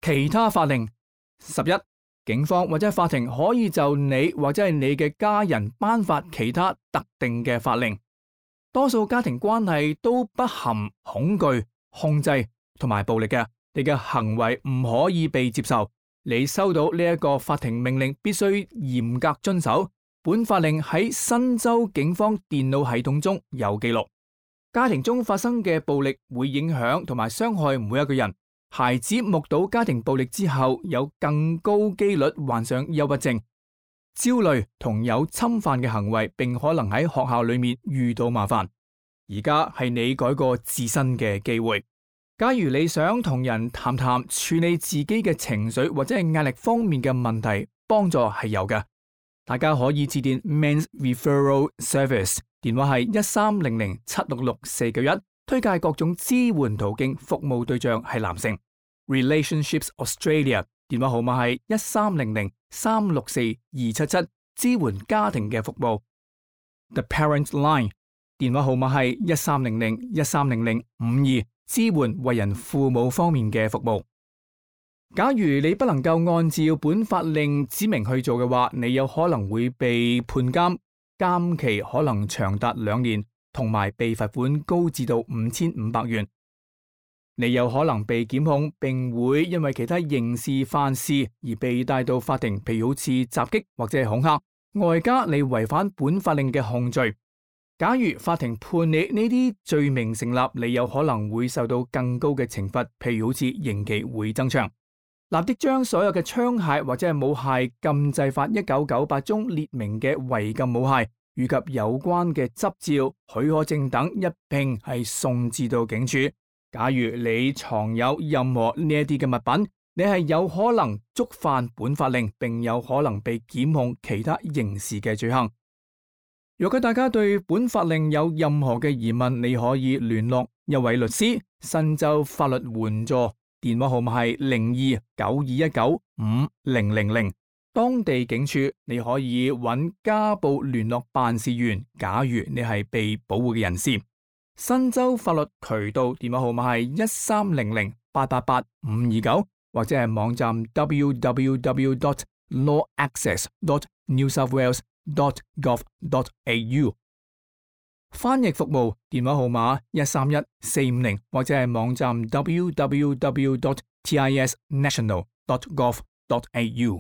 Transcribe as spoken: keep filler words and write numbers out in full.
其他法令。十一，警方或者法庭可以就你或者係你嘅家人頒發其他特定嘅法令。多數家庭關係都不含恐懼、控制同埋暴力嘅，你嘅行為唔可以被接受。你收到呢一個法庭命令，必須嚴格遵守。本法令喺新州警方電腦系統中有記錄。家庭中發生嘅暴力會影響同埋傷害每一個人。孩子目睹家庭暴力之後，有更高機率患上憂鬱症、焦慮同有侵犯嘅行為，並可能喺學校裏面遇到麻煩。而家係你改過自身嘅機會。假如你想同人談談處理自己嘅情緒或者係壓力方面嘅問題，幫助係有嘅。大家可以致電 Men's Referral Service， 電話係一三零零七六六四九一。推介各種支援途徑，服務對象係男性。Relationships Australia 電話號碼係一三零零三六四二七七，支援家庭嘅服務。The Parent Line 電話號碼係一三零零一三零零五二，支援為人父母方面嘅服務。假如你不能夠按照本法令指明去做嘅話，你有可能會被判監，監期可能長達兩年。同埋被罰款高至到五千五百元，你有可能被檢控，並會因為其他刑事犯事而被帶到法庭，譬如好似襲擊或者係恐嚇，外加你違反本法令嘅控罪。假如法庭判你呢啲罪名成立，你有可能會受到更高嘅懲罰，譬如好似刑期會增長。立即將所有嘅槍械或者係武械禁制法一九九八中列明嘅違禁武械以及有關嘅執照、許可證等一併係送至到警署。假如你藏有任何呢一啲嘅物品，你係有可能觸犯本法令，並有可能被檢控其他刑事嘅罪行。如果大家對本法令有任何嘅疑問，你可以聯絡一位律師。新州法律援助電話號碼係零二九二一九五零零零。當地警署，你可以揾家暴聯絡辦事員。假如你係被保護嘅人士，新州法律渠道電話號碼係一三零零八八八五二九，或者係網站 w w w dot law access dot new south wales dot gov dot a u。翻譯服務電話號碼一三一四五零，或者係網站 w w w dot t i s national dot gov dot a u。